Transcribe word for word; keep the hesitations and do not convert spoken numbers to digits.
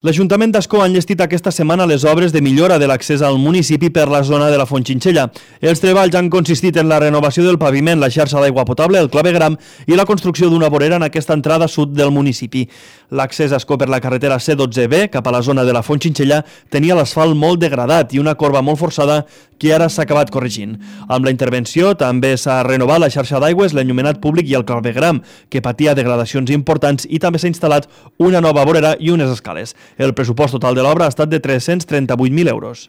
L'Ajuntament d'Ascó ha enllestit aquesta setmana les obres de millora de l'accés al municipi per la zona de la Fontxinxella. Els treballs han consistit en la renovació del paviment, la xarxa d'aigua potable, el clavegram i la construcció d'una vorera en aquesta entrada sud del municipi. L'accés a Ascó per la carretera C dotze B cap a la zona de la Fontxinxella tenia l'asfalt molt degradat i una corba molt forçada que ara s'ha acabat corregint. Amb la intervenció també s'ha renovat la xarxa d'aigües, l'enllumenat públic i el clavegram, que patia degradacions importants, i també s'ha instal·lat una nova vorera i unes escales. El pressupost total de l'obra ha estat de tres-cents trenta-vuit mil euros.